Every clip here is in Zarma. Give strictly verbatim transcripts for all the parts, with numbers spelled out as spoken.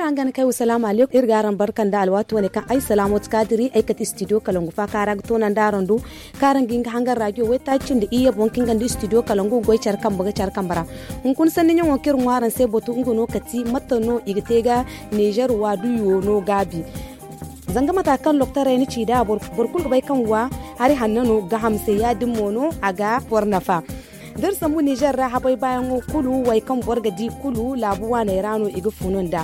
Araŋ gana kay wa salaamu aleykum, iri ga araŋ barka nda alwaati wane kaŋ ay salaamo ti kaadiri ay kate istidiyo kalangu faaka ra ga toonandi araŋ do, kaŋ araŋ ga hin ga hangan raadiyo waytaaci nda iyye boŋ kaŋ ga nda istidiyo kalangu ga goy care kambe ga care kambe ra. Hunkuna sanni ɲaŋo kaŋ iri ŋwa araŋ se batu nga no kati mate no i ga te ga nizer waadu yuwo no gaabi. Zanga mata kaŋ loktaray na ci nd'a, boro kulu ga bay kaŋ wa hari hanno no ga hamse ya- din mo no a ga boro nafa. Da iri sambu nizer ra habay baayaŋo kulu way kaŋ boro ga di kulu laabu waaney ra no i ga funu nd'a.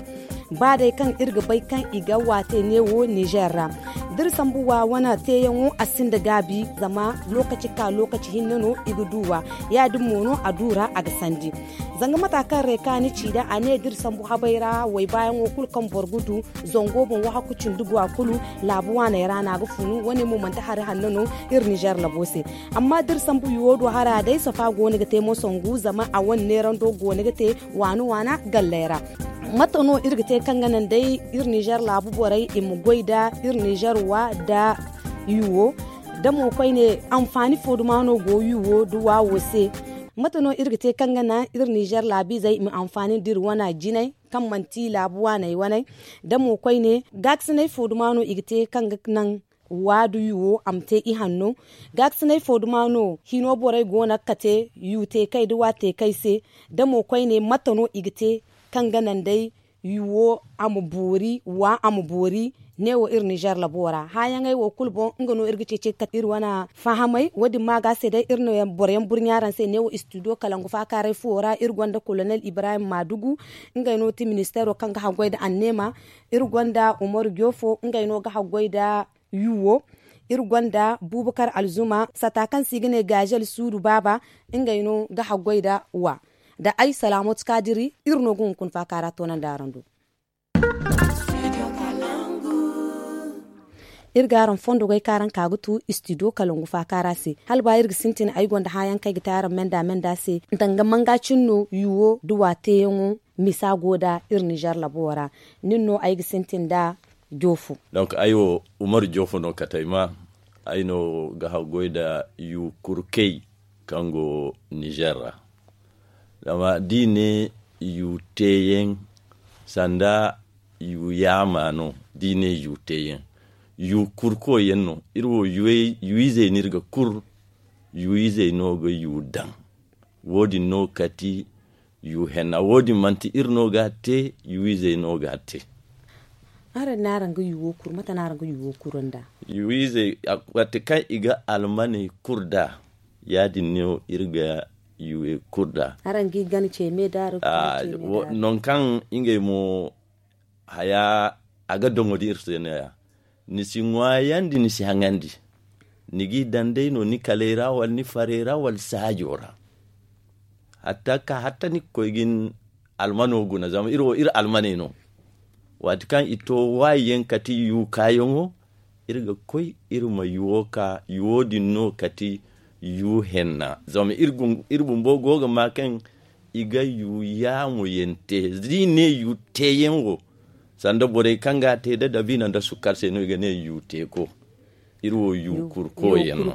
Ba day kaŋ iri ga bay kaŋ i ga wa te neewo nizer ra, da iri sambu wa wane teeyaŋo a sinda gaabi, zama lookaci ka lookaci hinne no i ga du wa, ya- din mo no a du ra a ga sandi. Zanga mata kaŋ reeka ni ci nd'a a ne da iri sambu habay ra way baayaŋo kulu kaŋ boro ga du zango boŋ wahakku cindi go a kulu laabu waaney ra no a ga funu. Wane mo manti hari hanno no iri nizer labo se. Amma da iri sambu yuwo do hara day safa go no ga te moso ngu zama a wane neerando go no ga te waana waana galley ra. Mate no iri ga te kaŋ ga naŋ day iri nizer laabu borey i ma goy nda iri nizer wa nda yuwo? Da mo koyne anfaani fo duma no go yuwo nda wa wo se? Mate no iri ga te kaŋ ga naŋ iri nizer laabiizey i ma anfaani nda iri wana jinay kaŋ manti laabu waaney waney? Da mo koyne gaakasinay fo duma no i ga te kaŋ ga naŋ wa nda yuwo a ma te ihanno? Gaakasinay fo duma no hino borey go no ga kate yu te kay nda wa te kay se? Da mo koyne mate no i ga te kaŋ ga naŋ day yuwo a ma boori wa a ma boori? Neewo iri nizer labo ra hããyaŋey wo kulu boŋ nga no iri ga ceeci ga kate iri wane fahamay wo- din ma ga se day iri no boro yaŋ burɲa araŋ se neewo istidiyo kalangu faakaaray fuwo ra iri gonda kolonel ibrahim maadugu, ngey no ti ministeero kaŋ ga haggoy nda anneema. Iri gonda umaru joofo ngey no ga haggoy nda yuwo. Iri gonda buubakar alzuma sata kaŋ se i ga ne gaazel suudu baaba, ngey no ga haggoy nda wa nda ay salaamot kaadiri. Iri no ga hunkuna faaka ra toonandi araŋ do. Iri ga araŋ fondo goy kaŋ araŋ ka ga tu istidiyo kalangu faaka ra se hala ba iri ga sintin ay gonda hããyaŋ kaŋ ay ga te araŋ menda menda se. Danga manga cin no yuwo nda wa teeyaŋo misa go nda iri nizer labo ra. Nin no ay ga sintin nda joofo. Donk ay wo umaru joofo no kate ay ma. Ay no ga haggoy nda yu kurkey kaŋ go nizer ra. Zama da i ne yu teeyaŋ sanda yu yaama no da i ne yu teeyaŋ yu kurko yaŋ no. Iri wo yu izey no iri ga kur yu izey no ga yu daŋ. Wo- din no kati yu henna wo- din manti iri no ga a te yu izey no ga a te. Araŋ ne araŋ ga yu wo kur mate no araŋ ga yu wo kur nda yu izey? Waati kaŋ i ga almaney kur nda ya- din no iri ga yu wo kur nda. Araŋ ga i gana ce me da araŋ ga gana ce me da araŋ. Nangu kaŋ ngey mo haya a ga doŋo da iri se no- ya ni si ŋwaayandi ni si haŋandi. Ni g'i daŋ day no ni kaley ra wala ni farey ra wala saajo ra. Hatta ka hatta ni ga koy ga ni almano guna zama iri wo iri almaney no. Waati kaŋ i to waayi yaŋ kati yu kaayaŋo iri ga koy iri ma yuwo ka yuwo din no kati yu henna zama iri bumbo go ga ma kaŋ i ga yu yaamo yaŋ te da i ne yu teeyaŋ wo. Sanda borey kaŋ ga a te da dabiina nda sukkar se no i ga ne yu teeko. Iri wo yu kurko yaŋ no.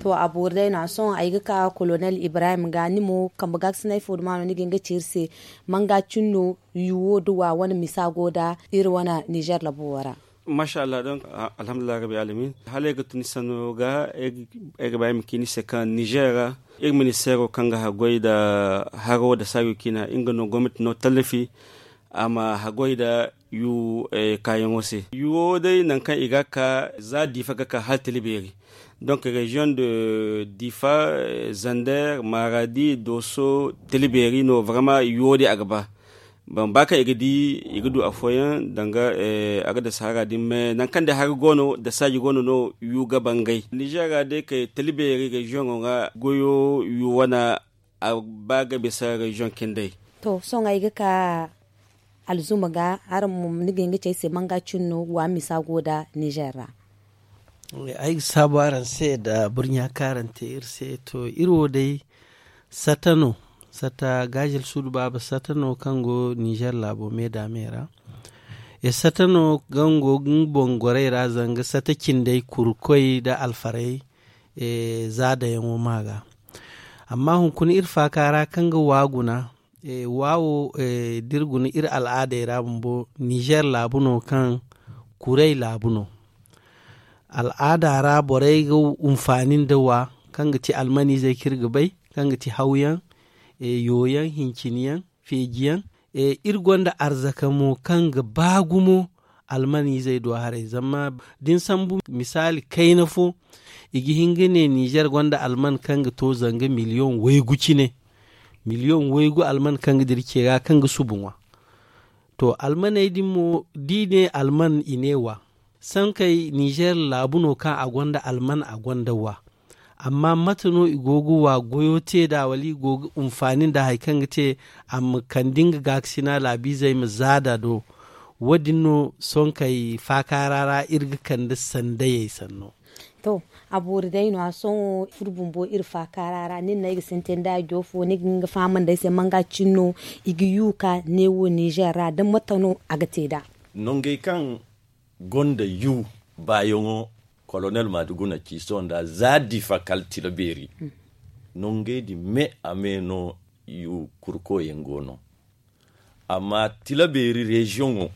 To a boori day no a sohõ ay ga ka kolonel ibrahim ga ni mo kambe gaakasinay fo duma no ni ga hin ga ci iri se? Manga cin no yu wo da wa wane misa go nda iri wane nizer labo wo ra. Maasa allah donk alhamdulillahi rabbil alamin. Hala ay ga tun ni sanno ga ay ga ba ay ma ci ni se kaŋ nizer ra iri ministeero kaŋ ga haggoy nda haro nda saajo ciina nga no gomnati no tallafi a ma haggoy nda yu kaayaŋo se. Yu wo day nangu kaŋ i ga a ka za diifa ga ka hala tila beeri. Donk reziyoŋ de diifa, zander, maaradi, dooso, tila beeri no barama yu wo day a ga ba. Ba kaŋ i ga di i ga du afooyaŋ danga a ga da sahara din me nangu kaŋ day hari go no da saaji go no no yu ga bangay nizer ra day kay tila beeri reziyoŋo ra goyo yu wane a ba ga bisa reziyoŋ cindey. To sohõ ay ga ka alzuma ga araŋ mo ni ga hin ga ci ay se manga cin no wa misa go nda nizer ra. Ay ga saabu araŋ se nda burɲa kaŋ araŋ te iri se to iri wo day sata no. Sata gaazel suudu baaba sata no kaŋ go nizer laabo me da me ra. E sata no kaŋ go nga boŋ gorey ra zanga sata cindey kurkoy nda alfarey za dayaŋo ma ga. Amma hunkuna iri faaka ra kaŋ ga wa guna Wa wo da iri guna iri al'aadey ra bumbo, nizer laabu no kaŋ kuray laabu no. Al'aada ra borey ga hunfaani nda wa kaŋ ga ti almaniizey kaŋ iri ga bay, kaŋ ga ti hawyaŋ, yooyaŋ, hinciniyaŋ, feejiyaŋ. Iri gonda arzaka mo kaŋ ga ba gumo. Almaniizey do haray zama da ni sambu misaali kayna fo, i ga hin ga ne nizer gonda alman kaŋ ga to zanga miliyoŋ waygu cine. Miliyoŋ waygu alman kaŋ ga dira ce ga kaŋ ga subu ŋwa. To, almaney din mo da i ne alman, i ne wa. Sankey nizer laabu no kaŋ a gonda alman, a gonda wa. Amma mate no i go ga wa goyo te nd'a, wala i go ga hunfaani nda hari kaŋ ga te a ma kande nga gaakasina laabiizey ma za nd'a do? Wo- din no sonkey faakaara ra iri ga kande sandayey sanno. To, a boori day no- ya sohõ iri bumbo iri faakaara ra nin no ay ga sintin da a jo fo ni ga hin ga fahamandi ay se manga cin no i ga yu ka ne wo nizer ra da mate no a ga te nd'a? Nongey kaŋ gonda yu baayaŋo, kolonel maadu guna ci sohõ nda za difa kala tila beeri. Nongey din me a me no yu kurkoyaŋ go no. Amma tila beeri reziyoŋo,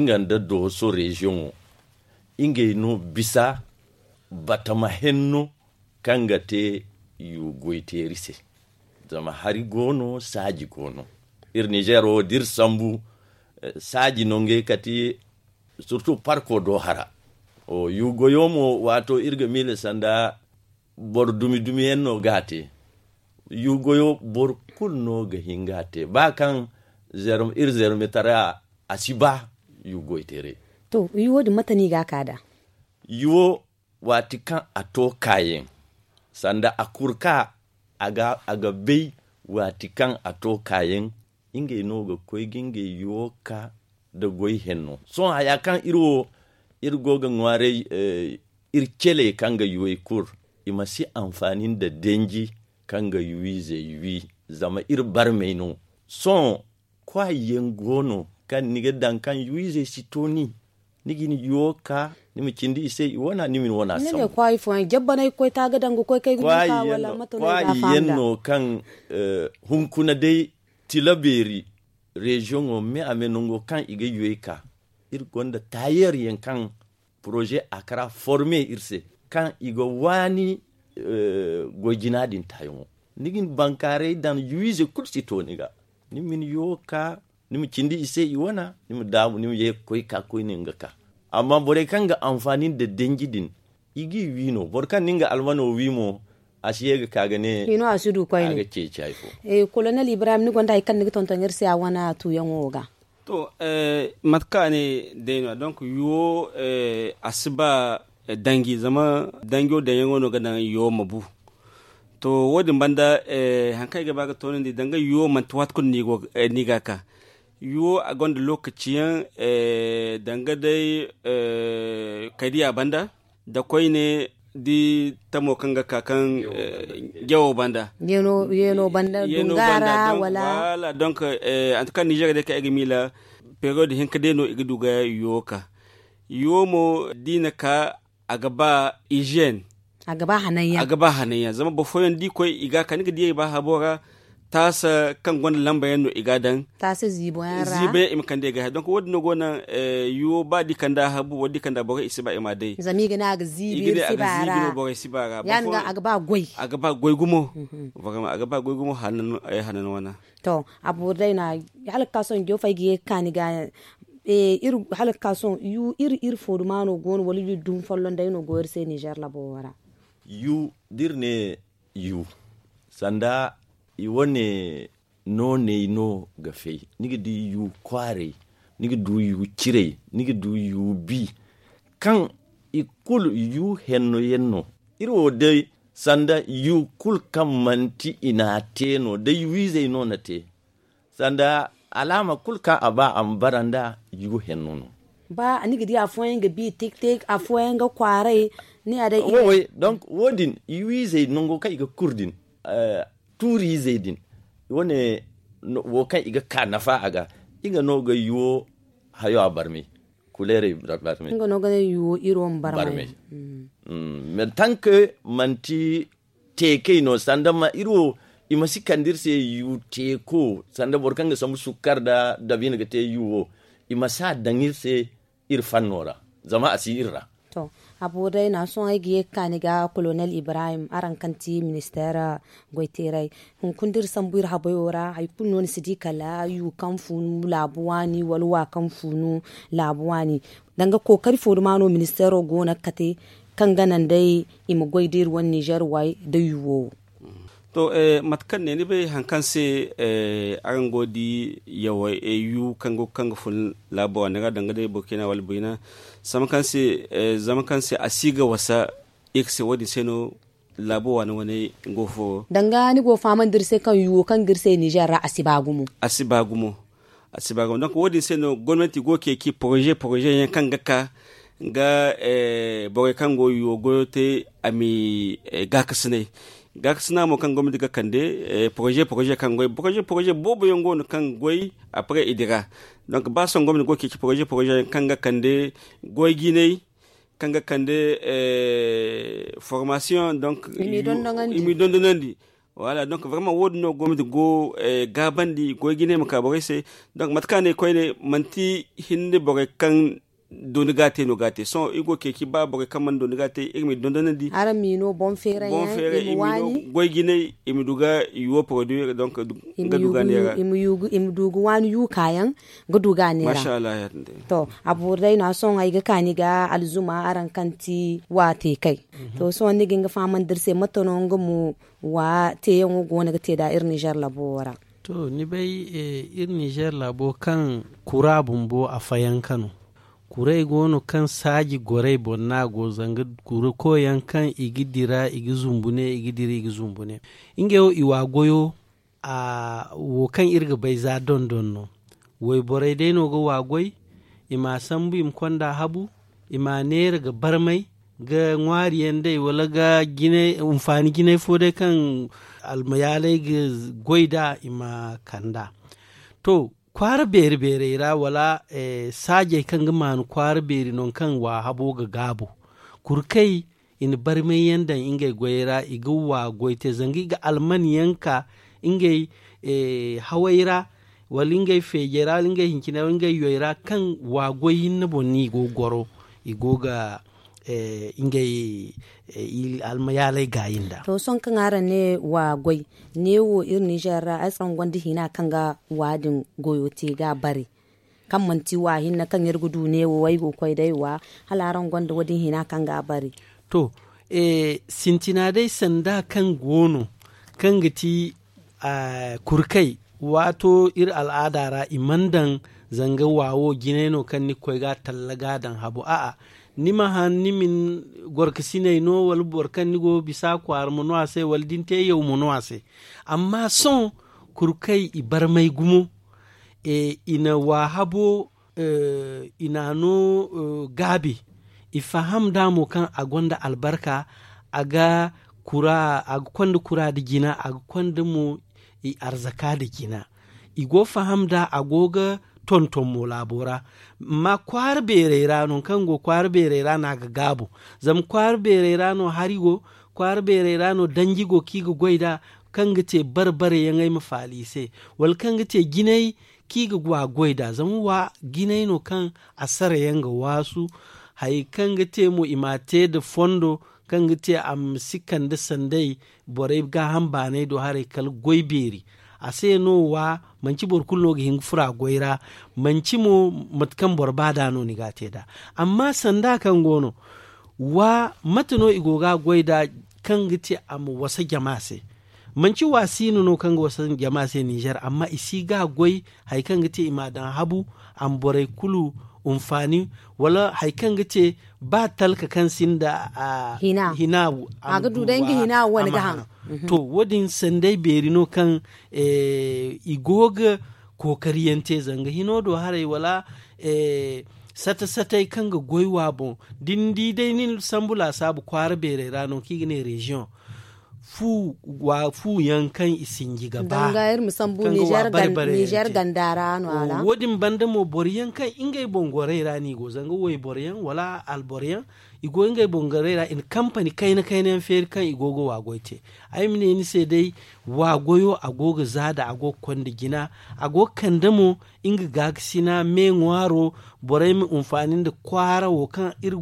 nga nda dooso reziyoŋo, ngey no bisa batama henno kaŋ ga te yu goyteeri se. Zama hari go no, saaji go no. Iri nizer wo da iri sambu, saaji no ngey kati, surtu parko do hara. Yu goyo mo, waato iri ga miila sanda boro dumi dumi yaŋ no ga a te. Yu goyo boro kulu no ga hin ga a te ba kaŋ iri zermitara a si ba yu goyteeray. To, yu wo din mate no i ga a ka nd'a? Yu wo, waati kaŋ a to kaayaŋ, sanda a kurka a ga bay waati kaŋ a to kaayaŋ. Ngey no ga koy ga ngey yuwo ka nda goy henno. Sohõ haya kaŋ iri wo iri go ga ŋwaaray, iri celey kaŋ ga yuwey kur, i ma si anfaani nda danji kaŋ ga yuwizey wi. Zama iri barmey no. Sohõ kwaayi yaŋ go no kaŋ ni ga daŋ kaŋ yuwizey si to ni. Ni ga ni yuwo ka, ni ma cindi i se i wana, ni ma ni wana sambu. Kwaayi fooyaŋ jabbanay ga koy ta ga daŋ ga koy kay ga ni ka wala mate no i ga a fahamda? Kwaayi yaŋ no kaŋ hunkuna day tila beeri reziyoŋo me a me nango kaŋ i ga yuwey ka. Iri gonda taayer yaŋ kaŋ poroze a kara forme iri se kaŋ i ga waani goy jina din taayaŋo. Ni ga ni bankaaray daŋ yuwize kulu si to ni ga. Ni ma ni yuwo ka, ni ma cindi i se i wana, ni ma daabu ni ma ye ga koy ka koyne nga ka. Amma borey kaŋ ga anfaani nda danji din, i g'i wi no. Boro kaŋ na nga almano wi mo, a si ye ga ka ga ne. Hino a si du koyne. Kolonel ibrahim, ni gonda hari kaŋ ni ga tonton iri se a wana tuuyaŋo wo ga? To, mate kaŋ a ne day no ya donk yuwo, a si ba danji zama danjo daŋyaŋo no ga naŋ yuwo ma bu. To, wo- din banda hari kaŋ ay ga ba ga toonandi danga yuwo manti waati kulu no i ga a ka. Yuwo a gonda lookaci yaŋ, danga day kaydiya banda, da koyne di tamo kaŋ ga ka kaŋ jawo banda. Yeeno banda dunga ra wala? Wala donk, antuka nizer day kaŋ ay ga miila, periyod hinka day no i ga du ga yuwo ka. Yuwo mo da i na ka, a ga ba iziyen. A ga ba hananyaŋ. Zama boro fooyaŋ da i koy i ga a ka ni ga di ay ba habo ra. Taasa kaŋ gonda lamba yaŋ no i ga a daŋ. Taasa ziibo yaŋ ra. Ziibo yaŋ i ma kande i ga hay donk wo- din no go naŋ. Yuwo ba da i kanda habu wala da i kanda borey i si ba i ma a day. Zama i ga ne a ga ziibi iri si ba ra. Ya- din ga a ga ba goy. A ga ba goy gumo. A ga ba goy gumo. Hanan wana. To, a boori day no a hala ga ka sohõ joofo ay ga ye ga kaani ga. Hala ga ka sohõ yu iri iri foodumaano go no wala yu dumi folloŋ day no go iri se nizer labo wo ra? Yu da iri ne yu sanda i wane nooney no ga fay. Ni ga di yu kwaaray, ni ga du yu ciray, ni ga du yu bi. Kaŋ i kulu yu henno yaŋ no. Iri wo day sanda yu kulu kaŋ manti i n'a te no da yu izey no na te. Sanda alaama kulu kaŋ a ba a ma bara nda yu henno no. Ba ni ga di afooyaŋ ga bi tik tik afooyaŋ ga kwaaray. Ni a day. Wowey donk wo- din yu izey nango kaŋ i ga kur din, tuuri izey din, wane wo kaŋ i ga ka nafa a ga. I ga no ga yuwo hayo a barmay. Kuleerey barmay. Nga no ga ne yuwo iri wo ma barmay. Tanke manti teekey no sanda ma iri wo I ma si kande iri se yu teeko sanda boro kaŋ ga sambu sukkar nda dabiina ga te yu wo. I ma si a daŋ iri se iri fanno ra, zama a si iri ra. To, a boori day no a sohõ ay ga ye ga ka ni ga kolonel ibrahim araŋ kaŋ ti ministeer goyteeray. Hunkuna da iri sambu iri habayo ra hari kulu no ni si di kala yu kaŋ funu laabu waani wala wa kaŋ funu laabu waani. Danga kookari fo duma no ministeero go no ga kate kaŋ ga naŋ day i ma goy da iri wane nizer waay da yu wo wo. To, mate kaŋ ne ni bay hari kaŋ se araŋ go ga di yaw yu kaŋ go ga fun laabo a ni ra danga day burkina wala burina zama kaŋ se a si ga wasa iri se wo- din se no. Laabo waani wane go fo danga ni go ga fahamandi iri se kaŋ yu wo kaŋ ga iri se nizer ra a si ba gumo. A si ba gumo. A si ba gumo donk wo- din se no gomnanti go ga ceeci poroze poroze yaŋ kaŋ ga ka ga borey kaŋ go yu wo goyo te a ma i gaakasinay. Gaakasina mo kaŋ gomnanti ga kande poroze poroze kaŋ goy poroze poroze boobo yaŋ go no kaŋ ga goy. Apre i dira donk ba sohõ gomnanti go ga ceeci poroze poroze yaŋ kaŋ ga kande goy jinay kaŋ ga kande formasiyoŋ donk i m'i dondonandi. Wala donk vraiment wo- din no gomnanti go gaabandi goy jinay ma ka borey se. Donk mate kaŋ a ne koyne manti hinne borey kaŋ dooni ga a te no ga a te sohõ iri go ga ceeci ba borey kaŋ mana dooni ga a te iri m'i dondonandi. Araŋ m'i no boŋ feeray yaŋ i ma waani. Goy jinay i ma du ga yu wo poroduwi donk ga du ga a neera. I ma du ga waani yu kaayaŋ ga du ga a neera. To, a boori day no a sohõ ay ga ka ni ga alzuma araŋ kaŋ ti wa te kay. To sohõ ni ga hin ga fahamandi iri se mate no nga mo wa teeyaŋo go no ga te nd'a iri nizer laabo wo ra? To ni bay iri nizer laabo kaŋ kura bumbo a fayanka no. Kuray go no kaŋ saaji gorey boŋ no a go zanga kura koy yaŋ kaŋ i ga dira i ga zumbu ne i ga dira i ga zumbu ne. Ngey wo i wa goyo. Wo kaŋ iri ga bay za dondon no. Wayborey day no ga wa goy. I m'a sambu i ma konda habu. I m'a neera ga barmay ga ŋwaari yaŋ day wala ga jinay hunfaani jinay fo day kaŋ almayaaley ga goy nd'a i ma kand'a. To, kwaara beeri beerey ra wala saajey kaŋ ga maanu kwaara beeri nangu kaŋ wa habo ga gaabu. Kurkey i na barmay yaŋ daŋ ngey goyey ra i ga wa goy te zanga i ga alman yaŋ ka ngey hawey ra wala ngey feejey ra wala ngey hinciney ra wala ngey yoy ra kaŋ wa goy hinne boŋ no i go ga goro. I go ga ngey almayaaley gaayi nd'a. To sohõ kaŋ araŋ ne wa goy neewo iri nizer ra ay si araŋ gonda hina kaŋ ga wa din goyo te ga a bare kaŋ manti wa hinne kaŋ iri ga du neewo ay go ga koy day wa hala araŋ gonda wo- din hina kaŋ ga a bare? To, sintina day sanda kaŋ go no kaŋ ga ti kurkay waato iri al'aada ra i mana daŋ zanga wa wo jinay no kaŋ ni ga koy ga a talla ga a daŋ habo a'a. Ni ma han ni ma ni gorkasiney no wala boro kaŋ ni go ga bisa kwaara ma no a se wala da ni te yaw ma no a se. Amma sohõ kurkay i barmay gumo i na wa habo i n'a no gaabi. I faham nd'a mo kaŋ a gonda albarka a ga kura a ga konda kura nda jina a ga konda mo i arzaka nda jina. I go faham nd'a a go ga tonton mo laabo ra. Amma kwaara beerey ra no kaŋ go kwaara beerey ra no a ga gaabu. Zama kwaara beerey ra no hari go kwaara beerey ra no danji go kaŋ i ga goy nd'a kaŋ ga te bare bare yaŋey ma faala i se wala kaŋ ga te jinay kaŋ i ga wa goy nd'a zama wa jinay no kaŋ a sara yaŋ ga waasu. Hari kaŋ ga te mo i m'a te nda fondo kaŋ ga te a ma si kande sanday borey gaaham baanay do haray kala goy beeri. A se no wa manci boro kulu no ga hin ga furo a goy ra. Manci mo mate kaŋ boro ba nd'a no ni ga a te nd'a. Amma sanda kaŋ go no wa mate no i go ga a goy nd'a kaŋ ga te a ma wasa jama se? Manci wa siino no kaŋ ga wasa jama se ninzeer amma i si ga a goy hari kaŋ ga te i m'a daŋ habu a ma borey kulu hunfaani wala hari kaŋ ga te ba talka kaŋ sinda hina a ga du day nga hina wane ga haŋ. To wo- din sanday beeri no kaŋ i go ga kookariyaŋ te zanga hino do haray wala sata satay kaŋ ga goy wa boŋ da ni di day nin sambu laasaabu kwaara beerey ra no kaŋ i ga ne reziyoŋ. fu yaŋ kaŋ i sinji ga ba. Nizer ganda ra no a ra. Wo- din banda mo boro yaŋ kaŋ ngey boŋ gorey ra no i go zanga wayboro yaŋ wala alboro yaŋ, i go ngey boŋ gorey ra i na kampani kayna kayna yaŋ feeri kaŋ i go ga waagoy te. Ay ma ne ni se day, waagoyo a go ga zaada a go ga konda jina, a go ga kande mo nga gaakasina me ŋwaaro. Borey ma hinfaani nda kwaara wo kaŋ iri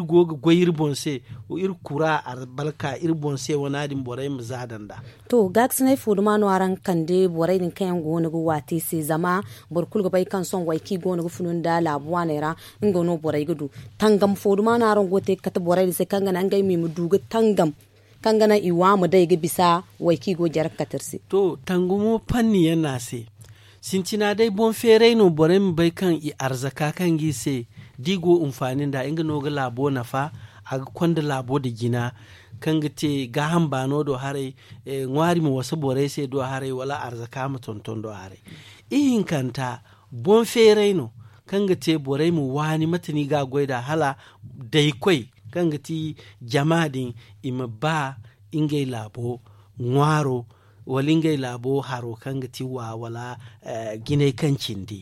go ga goy iri boŋ se, iri kura albarka iri boŋ se wane ya- din borey ma zaada nd'a. To gaakasinay fo duma no araŋ ga kande borey din kaŋ yaŋ go no ga waati se zama boro kulu ga bay kaŋ sohõ way kaŋ i go no ga funu nda laabu waaney ra, nga no borey ga du. Tangam fo duma no araŋ go ga te ga kate borey din se kaŋ ga naŋ ngey mo i ma du ga tangam kaŋ ga naŋ i wa ma day ga bisa way kaŋ i go ga jare ga kate iri se. To tangumo panni yaŋ no a se. Sintina day boŋ feeray no borey ma bay kaŋ i arzaka kaŋ ga i se da i go ga hinfaani nd'a nga no ga laabo nafa. A ga konda laabo nda jina kaŋ ga te gaaham baano do haray, ŋwaari ma wasa borey se do haray wala arzaka ma tonton do haray. Ihinkanta boŋ feeray no kaŋ ga te borey ma waani mate no i ga a goy nd'a hala daykoy kaŋ ga ti jama din i ma ba ngey laabo ŋwaaro wala ngey laabo haro kaŋ ga ti wa wala jinay kaŋ cindi.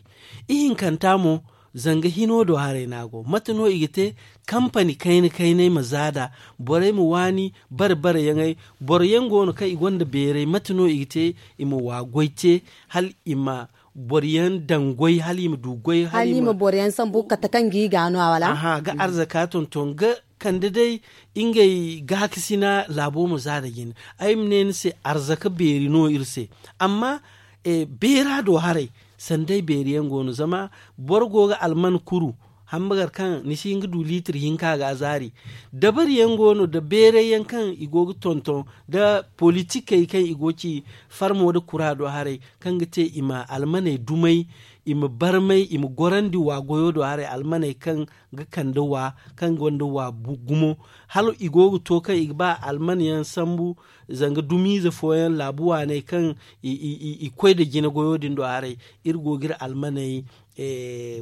Ihinkanta mo zanga hino do haray no a go mate no i ga te kampani kayna kaynay ma zaada borey ma waani bare bare yaŋey. Boro yaŋ go no kaŋ i gonda beeray mate no i ga te i ma wa goy te hala i ma boro yaŋ daŋ goy hala i ma du goy hala i ma boro yaŋ sambu ga kate kaŋ ga i ga no a wala ga arzaka tonton ga kande day ngey gaakasina laabo ma za nda jine. Ay ma ne ni se arzaka beeri no iri se. Amma beera do haray sanda ay beeri yaŋ go no zama boro go ga alman kuru hambagar kaŋ ni si hin ga du liitir hinka ga a zaari. Dabari yaŋ go no nda beeray yaŋ kaŋ i go ga tonton nda politikey kaŋ i go ga ci farmo nda kura do haray kaŋ ga te i ma almaney dumay i ma barmay i ma gorandi wa goyo do haray almaney kaŋ ga kande wa kaŋ gonda wa gumo. Hala i go ga to kaŋ i ga ba alman yaŋ sambu zanga dumiize fooyaŋ laabu waaney kaŋ i koy nda jina goyo din do haray. Iri go ga iri almaney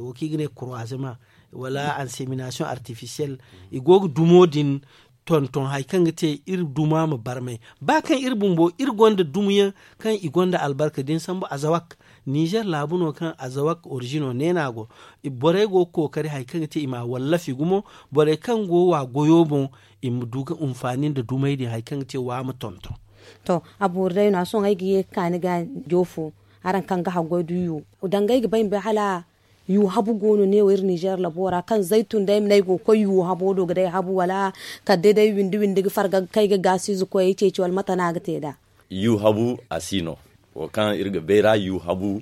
wo kaŋ i ga ne kurwazema wala anseminasiyoŋ artifisiyel i go ga dumo din tonton hari kaŋ ga te iri duma ma barmay. Ba kaŋ iri bumbo iri gonda dumiyaŋ kaŋ i gonda albarka da ni sambu azawak nizer laabu no kaŋ azawak orizino ne no a go. Borey go ga kookari hari kaŋ ga te i ma a wallafi gumo. Borey kaŋ go wa goyo boŋ i ma du ga hinfaani nda dumey din hari kaŋ ga te wa ma tonton. To a boori day no a sohõ ay ga ye ga ka ni ga joofo araŋ kaŋ ga haggoy du yu danga ay ga bay ma bay hala yu habu go no neewo iri nizer labo ra kaŋ zaytun day ay ma ne ay go ga koy yu habo do ga day habu wala kala day day windi windi ga farga ga kay ga gaasiize koyey ceeci wala mate no a ga te nd'a? Yu habu a si no. Wo kaŋ iri ga bay ra yu habu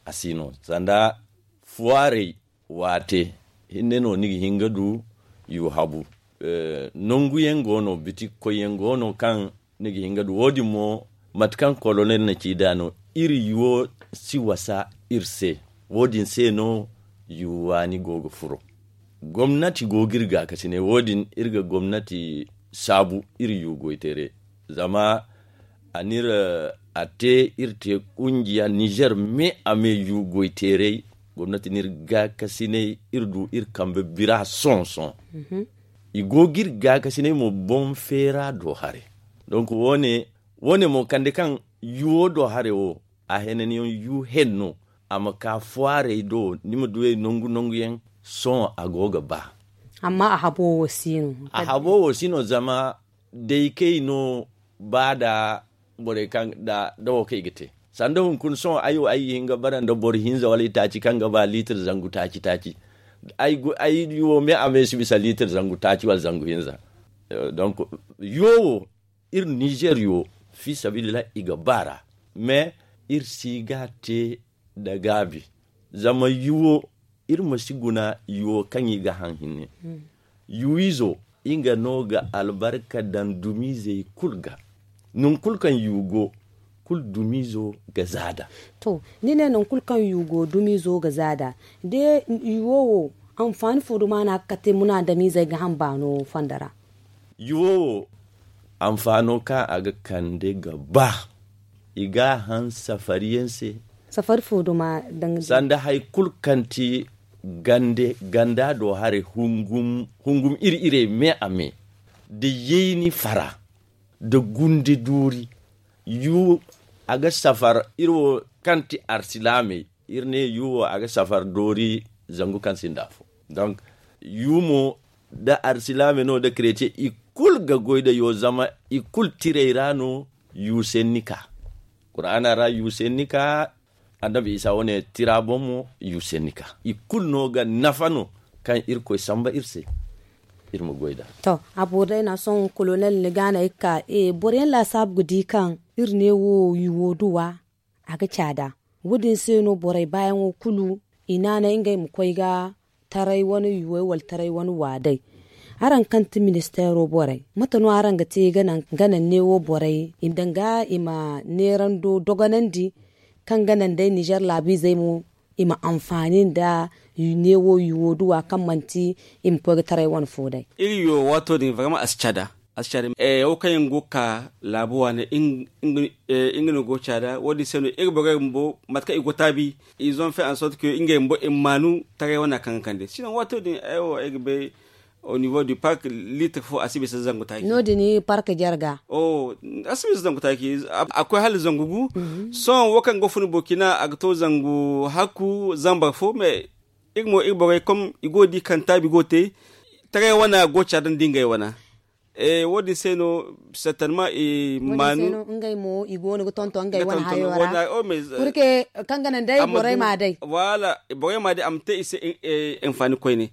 a si no sanda fuwaarey waate hinne no ni ga hin ga du yu habu. Nangu yaŋ go no bitik koy yaŋ go no kaŋ ni ga hin ga du wo- din mo mate kaŋ kolonel na ci nd'a no. Iri yuwo si wasa iri se. Wo- din se no yu waani go ga furo. Gomnati go ga iri gaakasinay wo- din iri ga gomnati saabu iri yu goyteeray zama a n'iri a te iri te kungiya nizer me a me yu goyteeray. Gomnati n'iri gaakasinay iri du iri kambe bira sohõ-sohõ. I go ga iri gaakasinay mo boŋ feera do haray. Donk wo- ne mo kande kaŋ yuwo do haray wo a henanyaŋ yu henno a ma ka fuwaarey do ni ma duyey nangu nangu yaŋ. Sohõ a go ga ba. Amma a habo wo si no. A habo wo si no zama day kay no ba nda borey kaŋ nda wo kaŋ i ga te sanda hunkuna sohõ ay wo ay ga hin ga bara nda boro hinza wala itaaci kaŋ ga ba liitir zangu taaci taaci. Ay wo me a me si bisa liitir zangu taaci wala zangu hinza. Donk yo wo iri nizer yo fi sabilillahi i ga ba ra. Mais iri si ga te nda gaabi. Zama yuwo iri ma si guna yuwo kaŋ i ga haŋ hinne. Yuwizo nga no ga albarka daŋ dumiizey kulu ga. Nangu kulu kaŋ yu go kulu dumiizo ga zaada. To ni ne nangu kulu kaŋ yu go dumiizo ga zaada de yuwo wo anfaani fo duma no a ga kate munaadamiizey ga haŋ baano fondo ra? Yuwo wo anfaano kaŋ a ga kande ga ba i ga a haŋ safari yaŋ se. Safari fo duma daŋ sanda hari kulu kaŋ ti ganda do haray hungum iri-irey me a me da yayni fara. da gundi duuri. Yu a ga safar iri wo kaŋ ti arsilaamey, iri ne yu wo a ga safar doori zangu kaŋ sinda afo. Donk yu mo da arsilaamey no da kretiye i kulu ga goy da yu zama i kulu tirey ra no yu senni ka. Kuraana ra yu senni ka. Annabi isa wane tira boŋ mo yu senni ka i kulu no ga nafa no kaŋ irkoy samba iri se. Iri ma goy da. To, a boori day na sohõ kolonel ni ga na ay ka boro yaŋ laasaabu ga di kaŋ iri ne wo yuwo duwa a ga caada. Wo- din se no borey baayaŋo kulu i naanay ngey ma koy ga taray wane yuwey wala taray wane waaday. Araŋ kaŋ ti ministeero borey, mate no araŋ ga te ga naŋ neewo borey danga i ma neerando dogonandi kaŋ ga naŋ day nizer laabiizey mo i ma anfaani nda neewo yuwo duwa kaŋ manti i ma koy ga taray wane fo day? Iri yo waato din vraiment a si caada. A si caada. Wo kaŋ yaŋ go ga ka laabu waane nga no go ga caada wo- din se no iri borey bumbo mate kaŋ i go taabi, i zon fe en sorte que ngey bumbo i ma maanu taray wane kaŋ ga kande sinon waato din ay wo ay ga bay. Au niveau du park litre fo a si bisa zangu taaci. No- din park jarga. A si bisa zangu taaci. A koy hala zangu gu. Sohõ wo kaŋ go fun burkina a ga to zangu hakku zambar fo mais iri mo iri borey kom i go ga di kaŋ taabi go ga te. Taray wana go ga caada nda ngey wana. Wo- din se no certainement i maanu. Ngey mo i go no ga tonton ngey wane hayo ra. Purke kaŋ ga naŋ day borey ma day. Voilà, borey ma day a ma te i se anfaani koyne.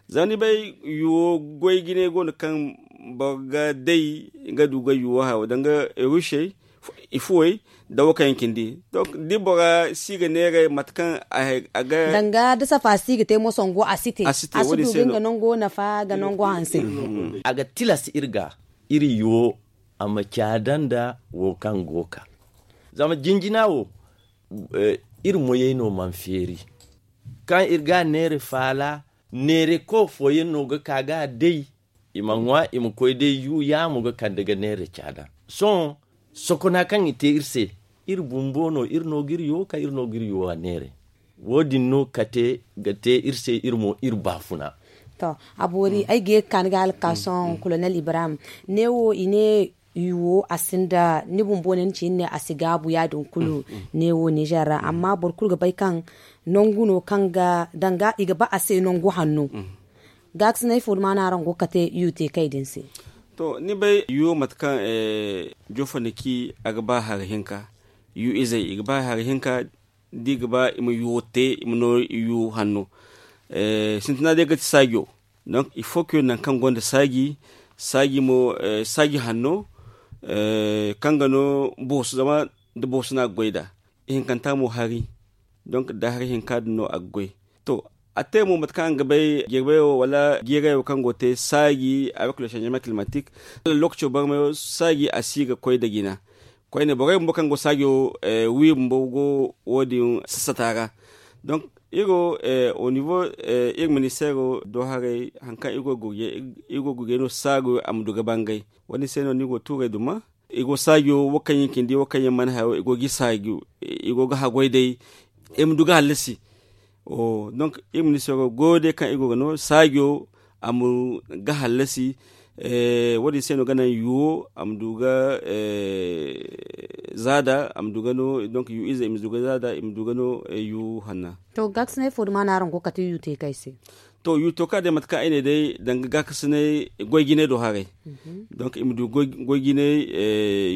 Zama ni bay yuwo goy jine go no kaŋ boro ga day ga du ga yuwo hayo danga rusey, i fuwey, da wo kaŋ yaŋ cindi. Donc da bora si ga neeray mate kaŋ a ga danga da safa si ga te mo songo a si te a si du ga nga nango nafa ga nango hanse. A ga tilas iri ga iri yuwo a ma caada nda wo kaŋ go ga ka. Zama jinjina wo iri moyey no mana feeri. Kaŋ iri ga a neera faala neera koy fooyaŋ no ga ka ga a day. I ma ŋwa i ma koy day yu yaamo ga kande ga neera caada. Sohõ sokona kaŋ i te iri se, iri bumbo no iri no ga iri yuwo ka iri no ga iri yuwo a neera. Wo- din no kate ga te iri se iri mo iri baafuna. To, a boori ay ga ye ga ka ni ga hala ga ka sohõ kolonel ibrahim, neewo i ne yuwo a sinda ni bumbo ne ni ci ni ne a si gaabu ya- din kulu. Neewo nizer ra amma boro kulu ga bay kaŋ nangu no kaŋ ga danga i ga ba a se nangu hanno. Gaakasinay fo duma no araŋ go ga kate yu te kay din se? To ni bay yu mate kaŋ jofa ni ci a ga ba hari hinka. Yu izey i ga ba hari hinka da i ga ba i ma yuwo te i ma no yu hanno. Sintina day ga ti saajo. Donc il faut que nangu kaŋ gonda saaji saaji mo saaji hanno kaŋ ga no boosu zama da boosu no a ga goy nd'a. Ihinkanta mo hari. Donc da hari hinka din no a ga goy. To a te mo mate kaŋ araŋ ga bay jirbayo wala jiirayo kaŋ go ga te saaji avec le changement climatique. Lokaco barmayo saaji a si ga koy nda jina. Koyne borey bumbo kaŋ go saajo wi bumbo go wo- din sassata ra. Donc iri wo au niveau iri ministeero do haray hari kaŋ iri go ga gurjay no saajo a ma du ga bangay. Wo- din se no ni go ga tuuray duma. Iri go saajo wo kaŋ yaŋ cindi wo kaŋ yaŋ mana hayo iri go ga iri saajo iri go ga haggoy day. Iri ma du ga hallasi. Donc iri ministeero goyo day kaŋ iri go ga no saajo a ma ga hallasi. Wo- din se no ga naŋ yuwo a ma du ga zaada a ma du ga no donc yu ize i ma du ga zaada i ma du ga no yu hanna. To gaakasinay fo duma no araŋ go ga kate yu te kay se? To yu to ka day mate kaŋ ay ne day danga gaakasinay goy jinay do haray. Donc i ma du goy jinay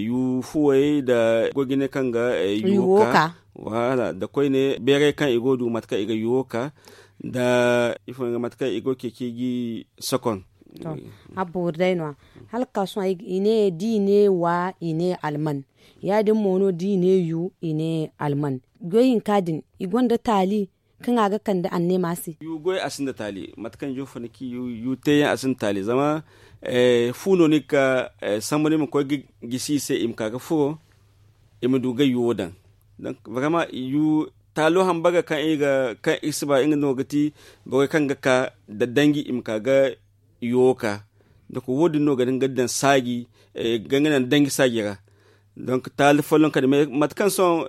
yu fuwey nda goy jinay kaŋ ga yu wo ka. Voilà nda koyne beeray kaŋ i go ga du mate kaŋ i ga yu wo ka nda ifo nga mate kaŋ i go ga ceeci gi sokon. A boori day no- ya hala ga ka sohõ i ne da i ne wa i ne alman. Ya- din mo no da i ne yu i ne alman. Goy hinka din i gonda taali kaŋ a ga kande anneema se. Yu goy a sinda taali mate kaŋ jofa ni ci yu teeyaŋ a sinda taali zama fu no ni ga ka samba ni ma koy ga gisi i se i ma ka ga furo. I ma du ga yuwo daŋ. Donc vraiment yu taalo hambara kaŋ iri ga kaŋ iri si ba nga no ga ti borey kaŋ ga ka nda danji i ma ka ga yuwo ka. Donc wo- din no ga nga daŋ saaji ga nga naŋ danji saaji ra. Donc taali folloŋ kadi mais mate kaŋ sohõ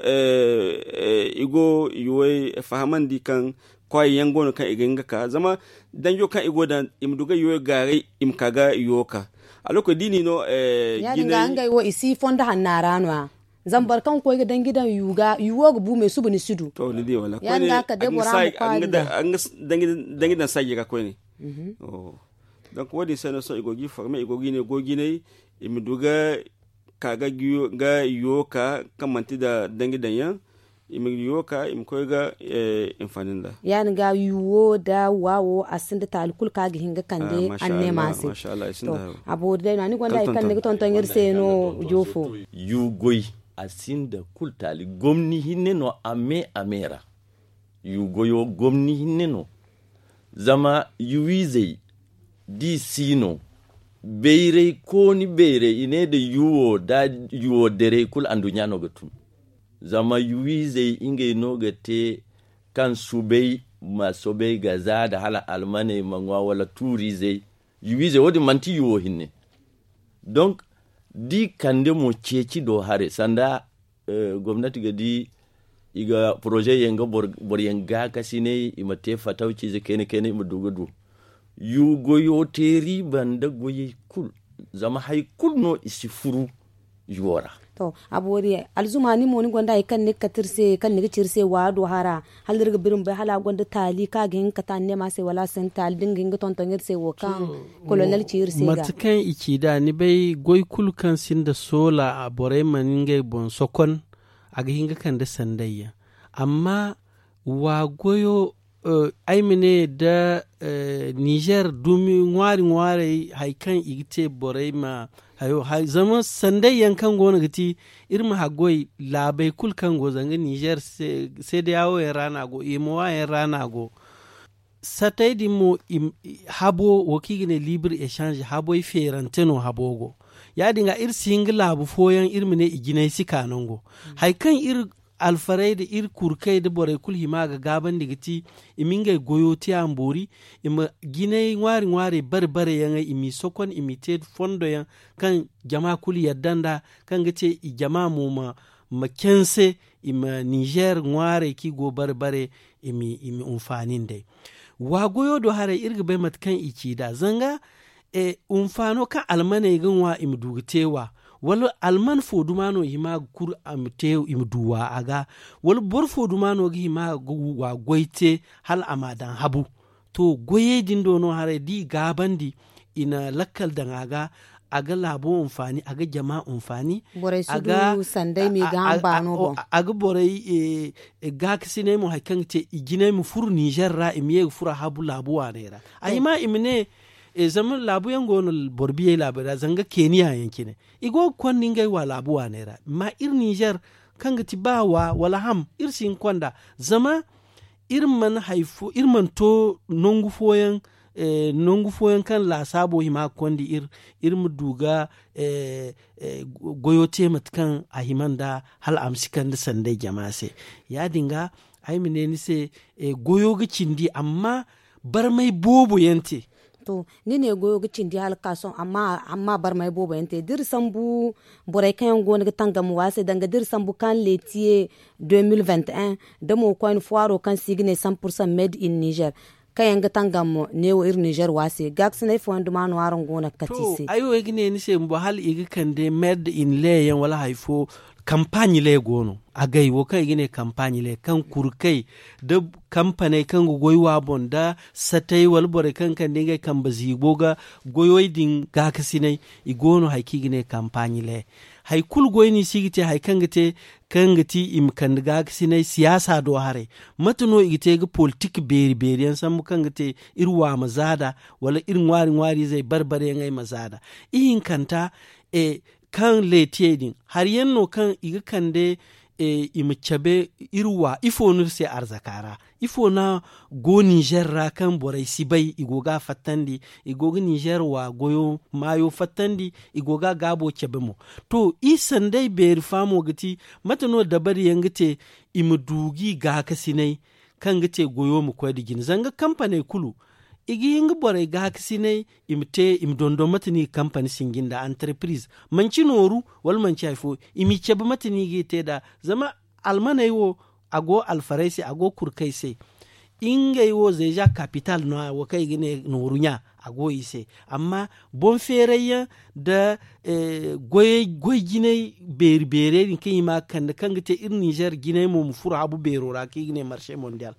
i go yuwey fahamandi kaŋ kwaayi yaŋ go no kaŋ i ga hin ga ka zama danjo kaŋ i go daŋ i ma du ga yuwo gaaray i ma ka ga yuwo ka. Aloko da i n'i no. Ya- din ga ngey wo i si fondo hanna ra no- ya zama boro kaŋ ga koy ga danji daŋ yuwo ga bu me suba ni si du. Ya- din ga kala day bora ma kwaari daŋ danji daŋ saaji ra koyne. Donk wo- din se no sohõ i go ga i forme i go ga i ne goy jinay i ma du ga ka ga yuwo ka kaŋ manti nda danji daŋ yaŋ i ma yuwo ka i ma koy ga hinfaani nda. Ya- din ga yuwo nda waawo a sinda taali kulu kaŋ a ga hin ga kande anneema se. A boori day no a ni gonda hari kaŋ ni ga tonton iri se no joofo. Yuwo goy a sinda kulu taali gomni hinne no a me a me ra. Yuwo goyo gomni hinne no. Zama yuwiizey da i si no bayray kooni bayray i ne nda yuwo da yuwo derey kulu anduɲɲa no ga tun. Zama yuwiizey ngey no ga te kaŋ subay ma sobay ga za nda hala almaney ma ŋwa wala tuuriizey. Yuwiizey wo- din manti yuwo hinne. Donk da i kande mo ceeci do haray sanda gomnati ga di i ga poroze yaŋ ga boro yaŋ gaakasinay i ma te fatawciize kayna kayna i ma du ga du. Yugo yo te riiba nda goyey kulu zama hari kulu no i si furu yuwo ra. To a boori alzuma ni mo ni gonda hari kaŋ ni ga kate iri se kaŋ ni ga ci iri se waado hara hala iri ga biri ma bay hala a gonda taali kaŋ a ga hin ga kate anneema se wala a sinda taali da ni ga hin ga tonton iri se wo kaŋ kolonel ci iri se ga. Mate kaŋ i ci nd'a ni bay goy kulu kaŋ sinda soola borey mana ngey boŋ sokon. A ga hin ga kande sanday yaŋ amma wa goyo ay ma ne nda nizer dumi ŋwaari ŋwaarey hari kaŋ i ga te borey ma hayo zama sanday yaŋ kaŋ go no ga ti iri ma haggoy laabey kulu kaŋ go zanga nizer seedeyawo yaŋ ra no a go imowa yaŋ ra no a go. Satey din mo habo wo kaŋ i ga ne libre echange haboy feerante no habo go. Ya- din ga iri si hin ga laabu fooyaŋ iri ma ne i jinay si ka nango hari kaŋ iri alfarey nda iri kurkey nda borey kulu hima ga gaabandi ga ti i ma ngey goyo te a ma boori i ma jinay ŋwaari ŋwaarey bare bare yaŋey i m'i sokon i m'i te fondo yaŋ kaŋ jama kulu yadda nd'a kaŋ ga te i jama mo ma canse i ma nizer ŋwaarey kaŋ i go bare bare i ma hunfaani nd'ey. Wa goyo do haray iri ga bay mate kaŋ i ci nd'a zanga hunfaano kaŋ almaney ga ŋwa i ma du ga te wa wala alman fo duma no i hima ga kuru i ma du wa a ga wala boro fo duma no ga hima ga wa goy te hala a ma a daŋ habu. To goyey din do no haray da i gaabandi i na lakkal daŋ a ga a ga laabo hunfaani a ga jama hunfaani. Borey si du sanday ma i ga haŋ baano boŋ a ga borey gaakasinay mo hari kaŋ ga te i jinay ma furo nizer ra i ma ye ga furo a habu laabu waaney ra. A hima i ma ne zama laabu yaŋ go no boro biyey laabey ra zanga keeniya yaŋ cine i go ga konda ngey wa laabu waaney ra amma iri nizer kaŋ ga ti ba wa wala ham iri si hin ga konda zama iri mana to nangu fooyaŋ nangu fooyaŋ kaŋ laasaabo hima ga konda iri iri ma du ga goyo te mate kaŋ a hima nda hala a ma si kande sanday jama se. Ya- din ga ay ma ne ni se goyo ga cindi amma barmay boobo yaŋ te. To ni ne goyo ga cindi hala ga ka sohõ amma barmay boobo yaŋ te da iri sambu borey kaŋ yaŋ go no ga tangam wa se danga da iri sambu kaŋ letiye deux mille vingt et un da mo koyne fuwaaro kaŋ se i ga ne cent pour cent made in nizer kaŋ yaŋ ga tangam neewo iri nizer wa se gaakasinay fooyaŋ duma no araŋ go no ga kate i se. Ay wo ay ga ne ni se bumbo hala i ga kande made in le yaŋ wala hari fo kampaaɲi le go no agay wo kaŋ i ga ne kampaaɲi le kaŋ kurkey da kampaney kaŋ ga goy wa boŋ nda satey wala borey kaŋ ga kande ngey kambe ziibo ga goyey din gaakasinay i go no hari kaŋ i ga ne kampaaɲi le. Hari kulu goy no i si ga te hari kaŋ ga te kaŋ ga ti i ma kande gaakasinay siyaasa do haray mate no i ga te ga politik beeri beeri yaŋ sambu kaŋ ga te iri wa ma zaada wala iri ŋwaari ŋwaari izey bare bare yaŋey ma zaada ihinkanta kaŋ leetiyey din hari yaŋ no kaŋ i ga kande i ma cabe iri wa ifo no iri se arzaka ra ifo no go nizer ra kaŋ borey si bay i go ga a fattandi i go ga nizer wa goyo maayo fattandi i go ga a gaabo cabe mo. To iri sanday beeri faamo ga ti mate no dabari yaŋ ga te i ma du g'i gaakasinay kaŋ ga te goyo ma koy nda jine zanga kampaney kulu i ga hin ga borey gaakasinay i ma te i ma dondon mate no i ga kampani sinji nda antarpiriz manci nooru wala manci hari fo i m'i cabe mate no i g'i te nd'a. Zama almaney wo a go alfarey se a go kurkey se. Ngey wo zeeja kapital no- ya wo kaŋ i ga ne nooru ɲa a go i se. Amma boŋ feeray yaŋ nda goy jinay beeri beerey din kaŋ i ma ga kande kaŋ ga te iri ninzeer jinay mo ma furo habu beero ra kaŋ i ga ne marse mondiyal.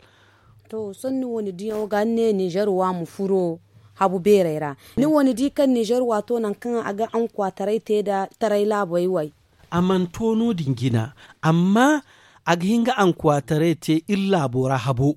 To sohõ ni wo ni diyaŋo ga ni ne ninzeer wo a ma furo habu beerey ra. Ni wo ni di kaŋ ninzeer wo a to nangu kaŋ a ga ankwataray te nda taray laabey way. A mana to no- din jina. Amma a ga hin ga ankwataray te iri laabo ra habo.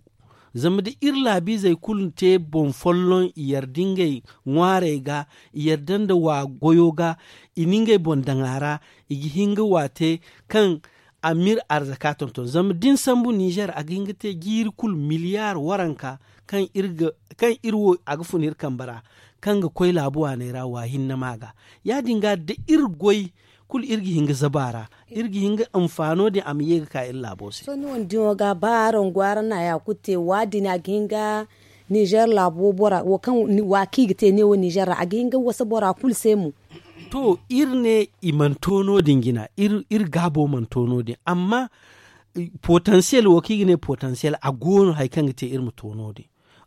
Zama da iri laabiizey kulu te boŋ folloŋ i yarda ngey ŋwaarey ga, i yarda nda wa goyo ga, i na ngey boŋ daŋ a ra, i ga hin ga wa te kaŋ a ma iri arzaka tonton. Zama da ni sambu ninzeer a ga hin ga te jiiri kulu miliyaar waranka kaŋ iri wo a ga fun iri kambe ra, kaŋ ga koy laabu waaney ra wa hinne ma ga. Ya- din ga da iri goy kulu iri ga hin ga zabu a ra, iri ga hin ga anfaano din a ma ye ga ka iri laabo se. Sohõ ni wane diyaŋo ga ba araŋ go araŋ na haya kulu te wa- din a ga hin ga ninzeer laabo bora wo kaŋ wa kaŋ i ga te neewo ninzeer ra a ga hin ga wasa bora kulu se mo. To iri ne i mana to no- din jina, iri gaabo mana to no- din amma potansiyel wo kaŋ i ga ne potansiyel a go no hari kaŋ ga te iri ma to no- din.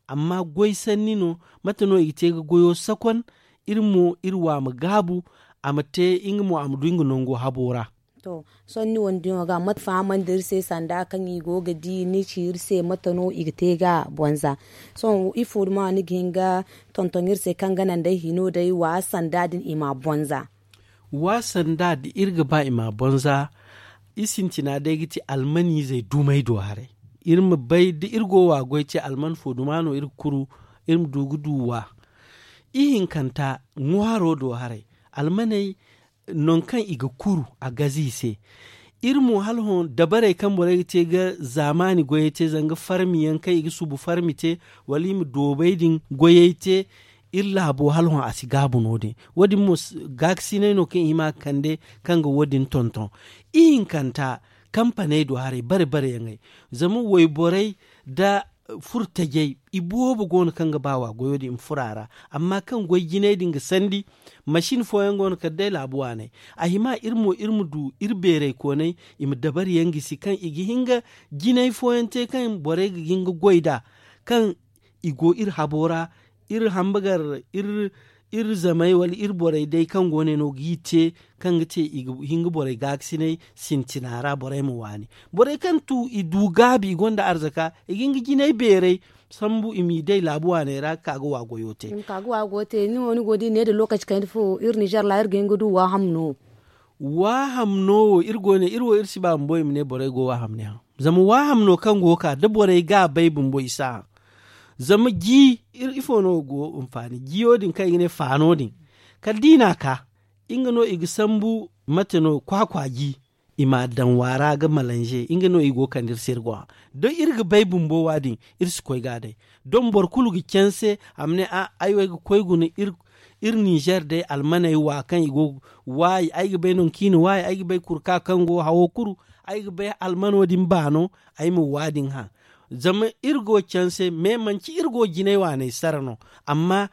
Amma goy sanni no, mate no i ga te ga goyo sakon iri mo iri wa ma gaabu, a ma te nga mo a ma du nga nango habo ra. To sohõ ni wane diyaŋo ga mate fahamandi iri se sanda kaŋ i go ga di ni ci iri se mate no i ga te ga bonza? Sohõ ifo duma ni ga hin ga tonton iri se kaŋ ga naŋ day hino day wa sanda din i ma bonza? Wa sanda da iri ga ba i ma bonza, i sintina day ga ti almaniizey dumey do haray. Iri ma bay da iri go wa goy te alman fo duma no iri ga kuru, iri ma du ga du wa. Ihinkanta ŋwaaro do haray, almaney nangu kaŋ i ga kuru a gaze i se. Iri mo hala hõ dabarey kaŋ borey ga te ga zaamaani goyey te zanga farmi yaŋ kaŋ i ga subu farmi te, wala i ma doobey din goyey te. Iri laabo hala hõ a si gaabu no- din. Wo- din mo gaakasinay no kaŋ i hima ga kande kaŋ ga wo- din tonton. Ihinkanta kampaney do haray bare bare yaŋey, zama wayborey nda furo tajey, i boobo go no kaŋ ga ba wa goyo din i ma furo a ra. Amma kaŋ goy jinay din ga sandi, masin fooyaŋ go no kala day laabu waaney. A hima iri mo iri ma du iri beerey koonay, i ma dabari yaŋ gisi kaŋ i ga hin ga jinay fooyaŋ te kaŋ borey ga hin ga goy nd'a, kaŋ i go iri habo ra, iri hamba gar iri zamey wala iri borey day kaŋ go ne no g'i te, kaŋ ga te i ga hin ga borey gaakasinay sintina ra borey ma waani. Borey kaŋ tu i du gaabi i gonda arzaka, i ga hin ga jinay beeray sambu i m'i day laabu waaney ra ga ka ga wa goyo te. Ni wo ni go da i ne da lokaci kayna fo iri nizer ra iri ga hin ga du waaham no? Waaham no wo iri go ne iri wo iri si ba bumbo i ma ne borey go waaham ne haŋ. Zama waaham no kaŋ go ga ka da borey ga a bay bumbo i si a haŋ. Zama ji ifo no go ga hinfaani jiyo din kaŋ i ga ne faano din, kala da i n'a ka, nga no i ga sambu mate no kwaakwa ji, i m'a daŋ waara ga malanze nga no i go ga kande iri se iri go haŋ. Da iri ga bay bumbo wa- din, iri si koy ga a day. Doŋ boro kulu ga canse a ma ne ay wo ay ga koy guna iri nizer day almaney wa kaŋ i go ga waayi ay ga bay nangu kaŋ i na waayi ay ga bay kurka kaŋ go hawo kuru, ay ga bay almano din baano, ay ma wa- din haŋ. Zama iri go canse me manci iri go jinay waaney sara no. Amma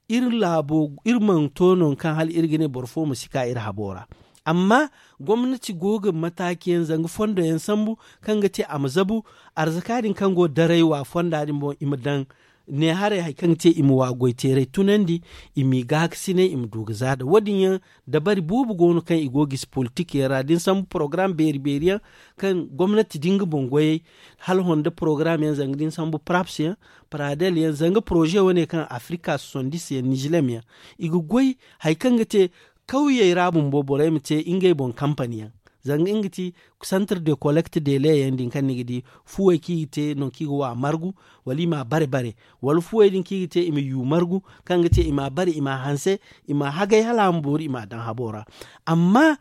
iri laabo iri mana to nangu kaŋ hala iri ga ne boro fo ma si ka iri habo ra. Amma gomnati go ga mataaci yaŋ zanga fondo yaŋ sambu, kaŋ ga te a ma zabu arzaka din kaŋ go daray wa fonda din boŋ i ma daŋ ne haray hari kaŋ ga te i ma wa goy teeray tunandi, i m'i gaakasinay i ma du ga za da wo- din yaŋ. Dabari boobo go no kaŋ i go ga gisi politik yaŋ ra da ni sambu porogaram beeri beeri yaŋ, kaŋ gomnati da nga boŋ goyey, hala honda porogaram yaŋ zanga da ni sambu paraps yaŋ, paradel yaŋ zanga poroze wane kaŋ afrika sosondis yaŋ nizilem yaŋ, i ga goy hari kaŋ ga te kawyey ra bumbo borey ma te ngey boŋ kampani yaŋ. Zanga nga ti santar de kolekte de leeyaŋ din kaŋ ni ga di fuwey kaŋ i ga te nangu kaŋ i ga wa margu, wala i m'a bare bare, wala fuwey din kaŋ i ga te i ma yu margu, kaŋ ga te i m'a bare i m'a hanse, i m'a hagay hala a ma boori i m'a daŋ habo ra. Amma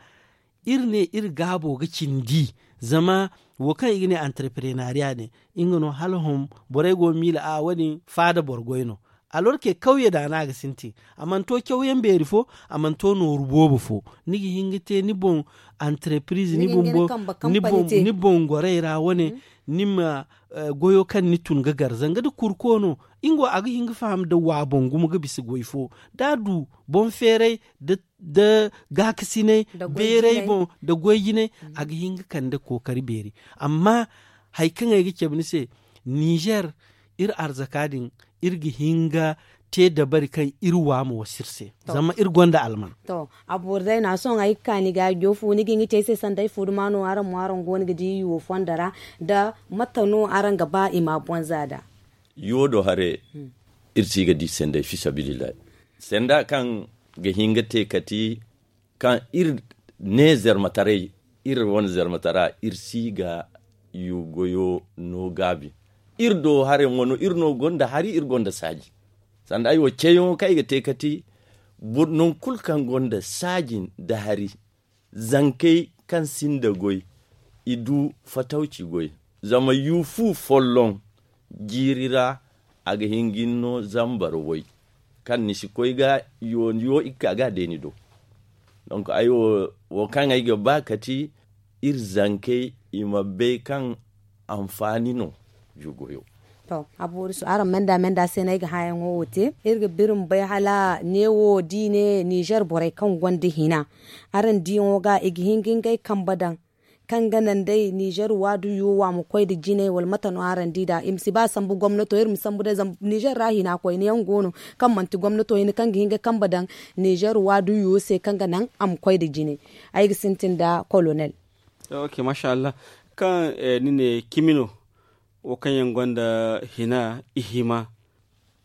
iri ne iri gaabo ga cindi, zama wo kaŋ i ga ne antarprenariya din, nga no hala hom borey go ga miila a wo- din faada boro goy no. Alorke kawye da no a ga sintin, a mana to cawyaŋ beeri fo, a mana to nooru boobo fo. Ni ga hin ga te ni boŋ antarpiriz ni boŋ boŋ ni boŋ gorey ra wane, ni ma goyo kaŋ ni tun ga gar zanga da kurko no, nga wo a ga hin ga faham da wa boŋ gumo ga bisa goy fo. Da a du boŋ feeray da gaakasinay beeray boŋ da goy jinay, a ga hin ga kande kookari beeri. Amma hari kaŋ ay ga cabe ni se, nizer iri arzaka din, iri ga hin ga te dabari kaŋ iri wa ma wasa iri se. Zama iri gonda alman. To, a boori day no a sohõ ay ga ka ni ga joofu ni ga hin ga ci ay se sanda ay fuuduma no araŋ mo araŋ go no ga di yuwo fondo ra, nda mate no araŋ ga ba i ma a bonza nd'a? Yuwo do hare, iri si ga di sanda ay fi sabilillahi, sanda kaŋ ga hin ga te kati kaŋ iri ne zarmataray, iri wane zarmatara iri si ga yugoyo no gaabi. Iri do hare wano iri no gonda hari iri gonda saaji. Sanda ay wo ceeyaŋo kaŋ ay ga te kati nangu kulu kaŋ gonda saaji nda hari, zankey kaŋ sinda goy, i du fatawci goy. Zama yu fu folloŋ jiiri ra, a ga hin ga ni no zambar way, kaŋ ni si koy ga yo iri ka ga a day ni do. Donk ay wo, wo kaŋ ay ga ba kati iri zankey i ma bay kaŋ anfaani no. Jugoyo. To, a boori su araŋ menda menda se no ay ga hããyaŋo wo te. Iri ga biri ma bay hala neewo da i ne nizer borey kaŋ gonda hina, araŋ diyaŋo ga i ga hin ga ngey kambe daŋ, kaŋ ga naŋ day nizer waadu yuwo wo a ma koy nda jine wala mate no araŋ di nd'a? I ma si ba sambu gomnato iri ma sambu day zama nizer ra hina koyne yaŋ go no, kaŋ manti gomnato hina kaŋ ga hin ga kambe daŋ nizer waadu yuwo se kaŋ ga naŋ a ma koy nda jine. Ay ga sintin nda kolonel. Ok, masha allah. Kaŋ ni ne cimi no, wo kaŋ yaŋ gonda hina, i hima,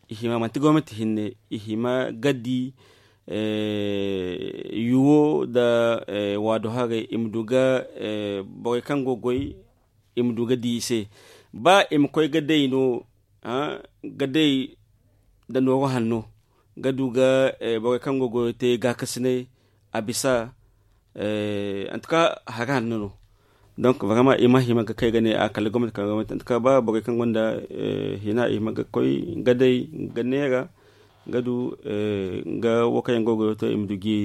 i hima manti gomnati hinne, i hima ga di yuwo nda waadu haray i ma du ga borey kaŋ go ga goy, i ma du ga di i se. Ba i ma koy ga day no, ga day nda nooru hanno, ga du ga borey kaŋ go ga goyo te gaakasinay, a bisa. Antuka hari hanno no. Donk barama i ma hima ga kay ga ne a kala gomnati kala gomnati antuka ba borey kaŋ gonda hina i hima ga koy ga day, ga neera, ga du ga wo kaŋ yaŋ go ga goyo te i ma du gi.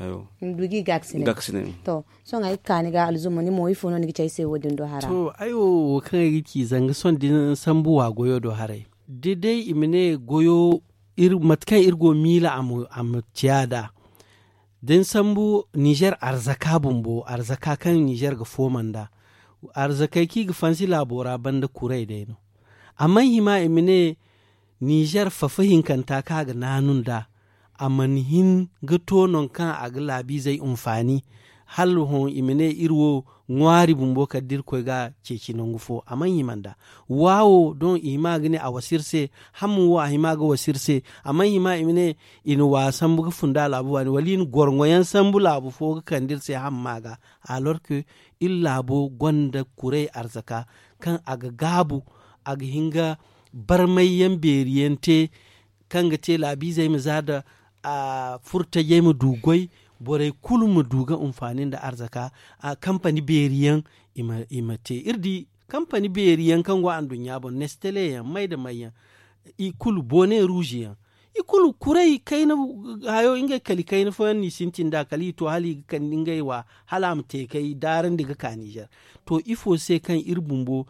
Hayo. I ma du gi gaakasinay. To, sohõ ay ga ka ni ga alzuma ni mo ifo no ni ga ci ay se wo- din do hara? To, ay wo wo kaŋ ay ga ci zanga sohõ da ni sambu wa goyo do haray, da day i ma ne goyo, mate kaŋ iri go miila a ma ciya nd'a. Da ni sambu nizer arzaka bumbo, arzaka kaŋ nizer ga fooma nd'a, arzakey kaŋ i ga fansi laabo ra banda kuray day no. Amma hima i ma ne nizer fafa hinkanta kaŋ a ga naanu nd'a, a mana hin ga to nangu kaŋ a ga laabiizey hinfaani. Hala hõ i ma ne iri wo ŋwaari bumbo kala da iri koy ga a ceeci nangu fo a mana hima nd'a. Wa wo doŋ i hima ga ne a wasa iri se. Hamma wo a hima ga wasa iri se. A mana hima i ma ne i na wa sambu ga funda laabu baani wala i na gorŋo yaŋ sambu laabu fo ga kande iri se hamma ga. Alors que iri laabo gonda kuray arzaka kaŋ a ga gaabu, a ga hin ga barmay yaŋ beeri yaŋ te, kaŋ ga te laabiizey ma za nda furtajey ma du goy, borey kulu ma du ga hinfaani nda arzaka. Kampani beeri yaŋ i ma te iri di, kampani beeri yaŋ kaŋ go anduɲɲa boŋ nestele yaŋ may nda may yaŋ, i kulu bone ruuzi yaŋ, i kulu kuray kayna hayo ngey kali kayna fooyaŋ no i sintin nd'a kala i to hala i ga kande ngey wa, hala a ma te kay daarandi ga ka nizer. To ifo se kaŋ iri bumbo,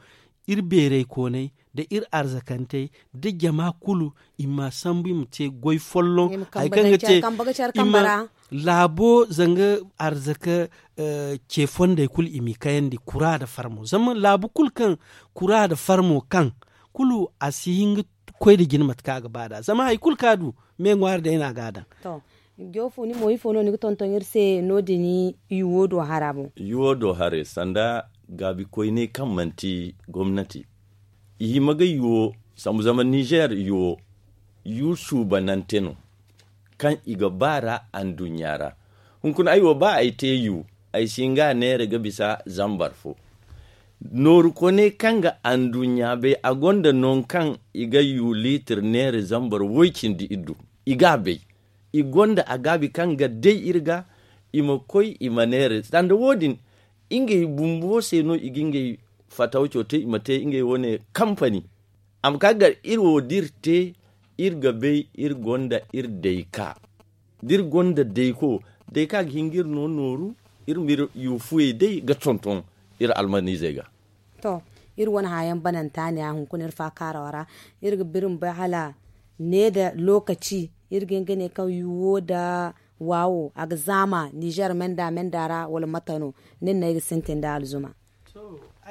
iri beeraykooney nda iri arzakantey nda jama kulu, i ma sambu i ma te goy folloŋ hari kaŋ ga te i ma laabo zanga arzaka ce fondey kulu i m'i kayandi kura nda farmo zama laabu kulu kaŋ kura nda farmo kaŋ kulu a si hin ga koy nda jina mate kaŋ a ga ba nd'a zama hari kulu kaŋ a du me ŋwaari day no a ga a daŋ. Joofu ni mo ifo no ni ga tonton iri se no- din yuwo do hara boŋ? Yuwo do hare sanda gaabikoyney kaŋ manti gomnati, i hima ga yuwo sambu zama nizer yuwo yu suubanante no kaŋ i ga ba ra anduɲɲa ra. Hunkuna ay wo ba ay te yu, ay si hin ga a neera ga bisa zambar fo. Nooru kone kaŋ ga anduɲɲa bay a gonda nangu kaŋ i ga yu liitir neera zambar woy cindi iddu. I ga a bay, i gonda a gaabi kaŋ ga day iri ga, i ma koy i ma neera sanda wo- din. Ngey bumbo se no i ga ngey fatawco te i ma te ngey wane kampani. A ma ka gar iri wo da iri te, iri ga bay iri gonda iri dayka. Da iri gonda dayko, dayka ga hin ga iri no nooru, iri ma iri yu fuyey day ga tonton iri almaniizey ga. To, iri wane hããyaŋ bananta ne a hunkuna iri faakaaraw ra. Iri ga biri ma bay hala ne nda lookaci iri ga hin ga ne kaŋ yuwo nda waawo a ga zaama nizer menda menda ra wala mate no? Nin no ay ga sintin nda alzuma.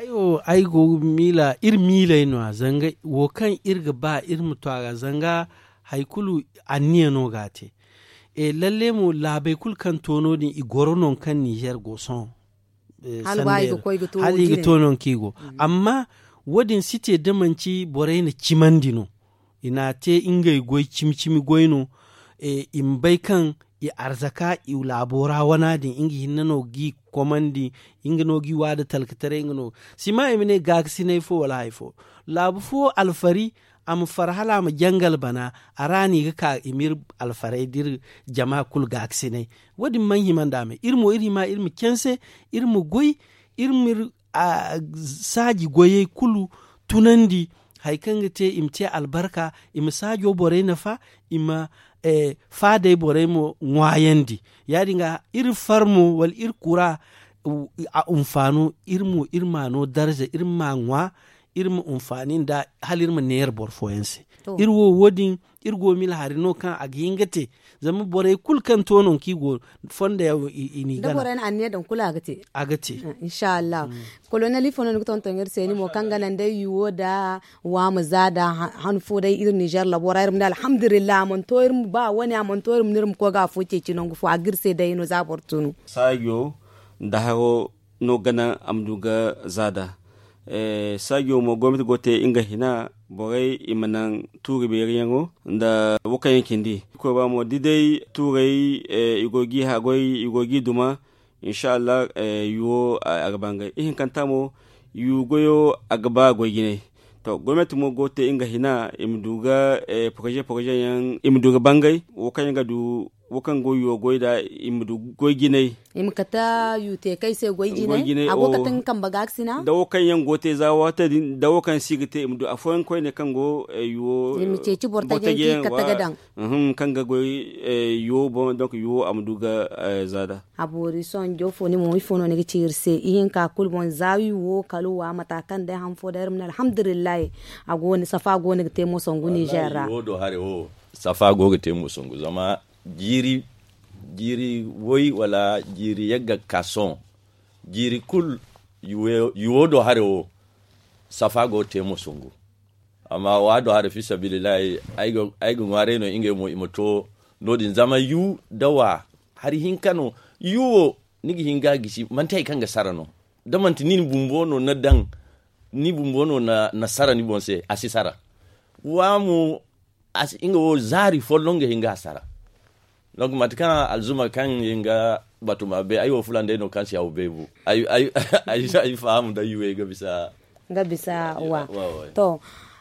Ay wo ay go ga miila iri miiley no- ya zanga wo kaŋ iri ga ba iri ma to a ga zanga hari kulu anniya no ga a te. Lalle mo laabey kulu kaŋ to no- din i goro nangu kaŋ nizer go sohõ. Hala i ga to nangu kaŋ i go amma wo- din si te da manci borey na cimandi no. I n'a te ngey goy cimi cimi goy no. I ma bay kaŋ i arzaka i laabo ra wana din nga hinne no g'i komandi. Nga no g'i wa nda talkataray nga no. Sima i ma ne gaakasinay fo wala hari fo laabu fo alfari a ma far hala a ma jangal bana. A ra no i ga ka i ma iri alfaray da iri jama kulu gaakasinay. Wo- din mana hima nd'a me iri mo iri hima iri ma canse iri ma goy iri ma iri saaji goyey kulu tunandi. Hari kaŋ ga te i ma te albarka i ma saajo borey nafa i ma faadey borey mo ŋwaayandi. Ya- din ga iri far mo wala iri kura a hunfaano iri mo iri m'a no darza iri m'a ŋwa iri ma hunfaani nd'a hala iri ma neera boro fooyaŋ se. Iri wo wo- din iri go mila hari no kaŋ a ga hin ga te. Zama borey kulu kaŋ to nangu kaŋ i go fondo yaŋ i n'i gana. Borey na anniya daŋ kulu a ga te. A ga te. Inshallah. Kolonel ifo no ni ga tonton iri se ni mo kaŋ ga naŋ day yuwo nda waama za nda han fo day iri nizer labo ra iri ma ne alhamdulillah a mana to iri ma ba wane a mana to iri ma ne iri ma koy ga afo ceeci nangu fo a ga iri se day no za boro tunu. Saajo nda haro no ga naŋ a ma du ga za nda saajo mo gomnati go ga te nga hina borey i ma naŋ tuuri beeri yaŋo nda wo kaŋ yaŋ cindi. Koy ba mo da day tuurey i go g'i haagoy i go g'i duma. Inshallah yuwo a ga bangay ihinkanta mo yu goyo a ga ba goy jinay. To gomnati mo go ga te nga hina i ma du ga poroze poroze yaŋ i ma du ga bangay wo kaŋ yaŋ ga du wo kaŋ go yuwo goy da i ma du goy jinay. I ma kate yu te kay se goy jinay a go ga te nga kambe ga ga sina da wo kaŋ yaŋ go te za waati din da wo kaŋ si ga te i ma du afooyaŋ koyne kaŋ go yuwo i ma ceeci boro taji yaŋ kaŋ ga goy yuwo boŋ donk yuwo a ma du ga za da. A boori sohõ joofo ni mo ifo no ni ga ci iri se ihinka kulu boŋ za wi wo kala wa mata kaŋ day han fo day iri ma ne alhamdulillahi. A go ni safa go ni ga te mo sangu nizer ra. Safa go ga te mo sangu zama jiiri jiiri woy wala jiiri yagga ga ka sohõ jiiri kulu yuwo do hare wo safa go ga te mo sangu. Amma wa do hare fi sabilillahi ay ga ŋwaaray no ngey mo i ma to no- din zama yu da wa hari hinka no yu wo ni ga hin ga gisi manti hari kaŋ ga sara no da manti nin bumbo no na daŋ ni bumbo no na sara ni boŋ se a si sara. Wa mo nga wo zaari folloŋ ga hin ga a sara. Donc mate kaŋ alzuma kaŋ nga batuma bay ay wo fulan day no kaŋ si haw bay bu ay faham da yuwey ga bisa. Nga bisa wa to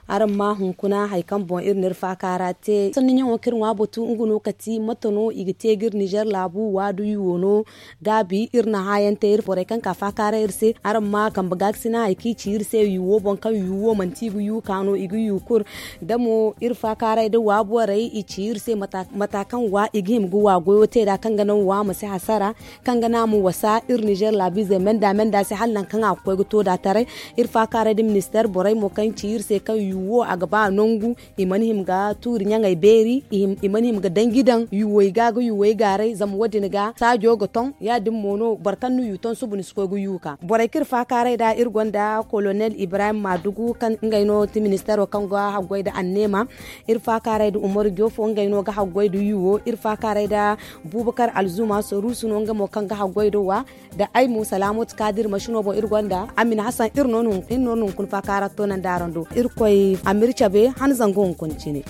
araŋ ma hunkuna hari kaŋ boŋ iri na iri faaka ra te sanni ɲaŋo kaŋ iri ŋwa batu nga no kati mate no i ga te ga iri nizer laabu waadu yuwo no. Gaabi iri na haayaŋ te iri borey kaŋ ka faakaaray iri se araŋ ma kambe gaakasina hari kaŋ i ci iri se yuwo boŋ kaŋ yuwo manti i ga yu ka no i ga yu kulu. Da mo iri faakaaray da wa borey i ci iri se mata kaŋ wa i ga hima ga wa goyo te nd'a kaŋ ga naŋ wa ma si hasara kaŋ ga naŋ a ma wasa iri nizer laabiizey menda menda se hala nangu kaŋ a ga koy ga to nd'a taray. Iri faakaaray da ministeer borey mo kaŋ ci iri se kaŋ yuwo a ga ba nangu i mana hima ga tuuri ɲaŋey beeri. I mana hima ga danji daŋ yuwey ga ga yuwey gaaray zama wo- din ga saajo ga ton ya- din mo no boro kaŋ na yu ton suba ni si koy ga yu ka borey kaŋ iri faakaaray nd'a iri gonda kolonel ibrahim maadugu kaŋ ngey no ti ministeero kaŋ ga haggoy nda anneema. Iri faakaaray nda umaru joofo ngey no ga haggoy nda yuwo iri faakaaray nda buubakar alzuma soruusu no nga mo kaŋ ga haggoy nda wa nda ay mo salaamooti kaadir masino boŋ iri gonda amin hasan iri no na hunkuna faakaara toonandi araŋ do irkoy a m'iri cabe han zangu hunkuna cine.